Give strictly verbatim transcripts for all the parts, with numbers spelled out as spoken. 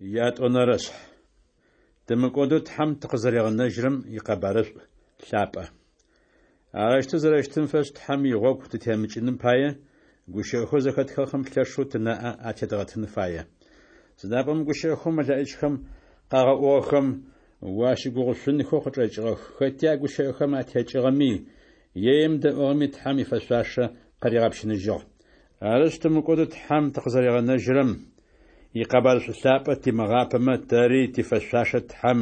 Ятӏонэрэшъхь. Тымыкӏодэу Тхьэм тыкъызэригъэнэжьырэм икъэбарышӏу лъапӏэ. Арэущтэу зэрэщытым фэшӏ Тхьэм игъогу тытемыкӏыным пае, гущыӏэхэу зэхэтхыгъэхэм лъэшэу тынаӏэ атедгъэтын фае. Сыда пӏомэ гущыӏэхэу мэлэӏичхэм къагъэӏугъэхэм уащыгугъышъунхэу къычӏэкӏыгъэх, хэти а гущыӏэхэм атекӏыгъэми, е емыдэӏугъэми Тхьэм ифэшъуашэ къыригъэпщыныжьыгъ. Арышъ, тымыкӏодэу Тхьэм тыкъызэригъэнэжьырэм икъэбарышӏу лъапӏэ тимыгъапэмэ, тэри тифэшъуашэ Тхьэм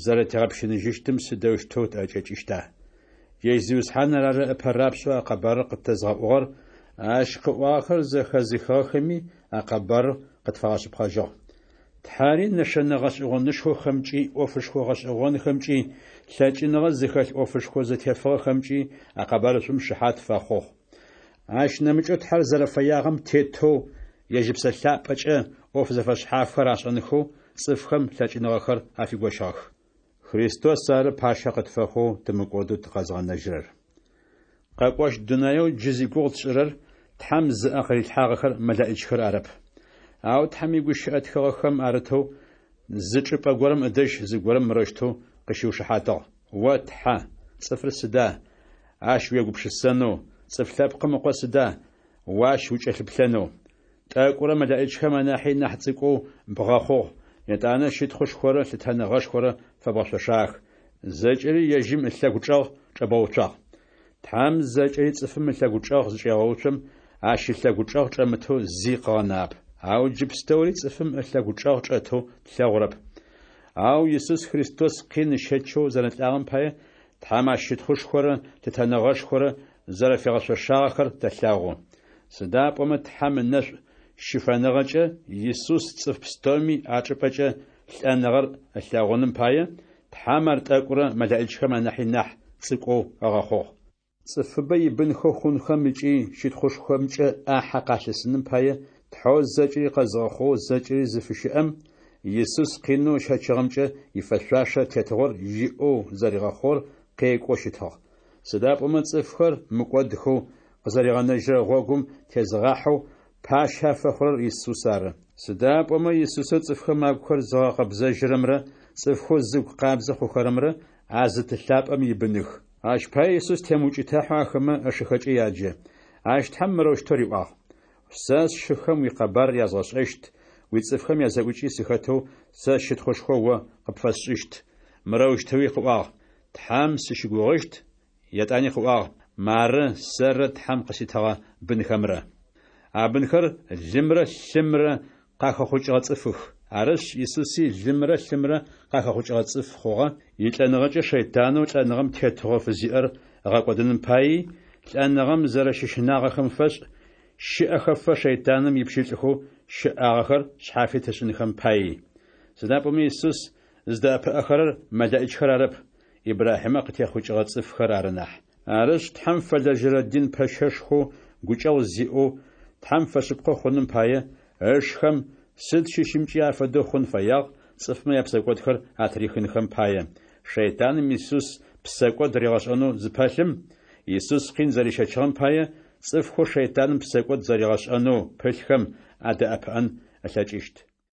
зэрэтигъэпщыныжьыщтым сыдэущтэу тӏэкӏэкӏыщта? Ежь Зиусхьаныр ары ыпэ рапшӏэу а къэбарыр къытэзгъэӏугъэр, ащ къыӏуагъэхэр зэхэзыхыгъэхэми а къэбарыр къытфагъэшъыпкъэжьыгъ. Тхьэри нэшэнэ гъэшӏэгъонышхохэмкӏи, ӏофышхо гъэшӏэгъонхэмкӏи, лъэкӏыныгъэ зыхэлъ ӏофышхо зэтефыгъэхэмкӏи а къэбарышӏум шыхьат фэхъугъ. Ащ нэмыкӏэу Тхьэр зэрэфэягъэм тетэу ежь Ыпсэ Лъапӏэкӏэ ӏоф зэфэшъхьафхэр ашӏэнхэу цӏыфхэм лъэкӏыныгъэхэр афигощыгъэх. Христос ары пащэ къытфэхъоу тымыкӏодэу тыкъэзгъэнэжьырэр. Къэкӏощт дунаеу джы зигугъу тшӏырэр Тхьэм зыӏэ къырилъхьагъэхэр мэлэӏичхэр арэп. Ау Тхьэм игущыӏэ тхыгъэхэм арытэу зы чӏыпӏэ горэм ыдэжь зыгорэм мырэущтэу къыщиушыхьатыгъ: «О Тхьэ, цӏыфыр сыда, ащ уегупшысэнэу, цӏыф лъэпкъым ыкъо сыда, о ащ укӏэлъыплъэнэу? Тӏэкӏурэ мэлэӏичхэм анахьи нахь цӏыкӏоу бгъэхъугъ, етӏанэ щытхъушхорэ лъытэныгъэшхорэ фэбгъэшъошагъэх, зэкӏэри ежьым ылъэгу чӏэгъ чӏэбгъэуцуагъ». Тхьэм зэкӏэри цӏыфым ылъэгучӏэгъ зычӏегъэуцом, ащ ылъэгучӏэгъ чӏэмытэу зи къыгъэнагъэп. Ау джы пстэури цӏыфым ылъэгучӏэгъ чӏэтэу тлъэгъурэп. Ау Исус Христос къин ыщэчэу зэрэлӏагъэм пае Тхьэм ащ щытхъушхорэ лъытэныгъэшхорэ зэрэфигъэшъошагъэхэр тэлъэгъу. Сыда пӏомэ Тхьэм ынэшӏу щыфэныгъэкӏэ Исус цӏыф пстэуми ачӏыпӏэкӏэ лӏэныгъэр ылъэгъуным пае, Тхьэм ар тӏэкӏурэ мэлэӏичхэм анахьи нахь цӏыкӏоу ыгъэхъугъ. Цӏыфыбэ ибынхэу хъунхэм ыкӏи щытхъушхомкӏэ ӏахьэ къалъысыным пае, Тхьэу зэкӏэри къэзгъэхъугъэу зэкӏэри зыфыщыӏэм, Исус къинэу ыщэчыгъэмкӏэ ифэшъуашэ тетыгъор иӏэу зэригъэхъугъэр къекӏоу щытыгъ. Сыда пӏомэ цӏыфхэр мыкӏодхэу къызэригъэнэжьырэ гъогум тезыгъахьэу пащэ афэхъурэр Исус ары. Сыда пӏомэ Исусэу цӏыфхэм агухэр зыгъэкъэбзэжьырэмрэ цӏыфхэу зыгу къабзэ хъухэрэмрэ а зы Ты лъапӏэм ибыных. Ащ пае Исус темыукӏытыхьэу ахэмэ ышыхэкӏэ яджэ. Ащ Тхьэм мырэущтэу риӏуагъ: «Сэ сшыхэм уикъэбар язгъэшӏэщт, уицӏыфхэм язэӏукӏи сыхэтэу сэ щытхъушхо о къыпфэсшӏыщт». Мырэущтэуи къыӏуагъ: «Тхьэм сыщыгугъыщт». Етӏани къыӏуагъ: «Мары сэррэ Тхьэм къыситыгъэ бынхэмрэ». А бынхэр лымрэ лъымрэ къахэхъукӏыгъэ цӏыфых. Арышъ, Исуси лымрэ лъымрэ къахэхъукӏыгъэ цӏыф хъугъэ, илӏэныгъэкӏэ шэйтанэу лӏэныгъэм тетыгъо фызиӏэр ыгъэкӏодыным паий, лӏэныгъэм зэрэщыщынагъэхэм фэшӏ, щэӏэхэфэ шэйтаным ипщылӏхэу щыӏагъэхэр шъхьафит ышӏынхэм паий. Сыда пӏомэ Исус зыдэӏэпыӏэхэрэр мэлэӏичхэр арэп, Ибрахьимэ къытехъукӏыгъэ цӏыфхэр ары нахь. Арышъ, Тхьэм фэлэжьэрэ дин пэщэшхоу гукӏэгъу зиӏэу, Тхьэм фэшъыпкъэ хъуным пае, ышхэм сыд щыщымкӏи афэдэу хъун фэягъ, цӏыфмэ япсэкӏодхэр атырихынхэм пае. Шэйтаным Исус псэкӏод ригъэшӏэнэу зыпэлъым, Исус къин зэрищэчыгъэм пае, цӏыфхэу шэйтаным псэкӏод зэригъэшӏэнэу пылъхэм адэӏэпыӏэн ылъэкӏыщт.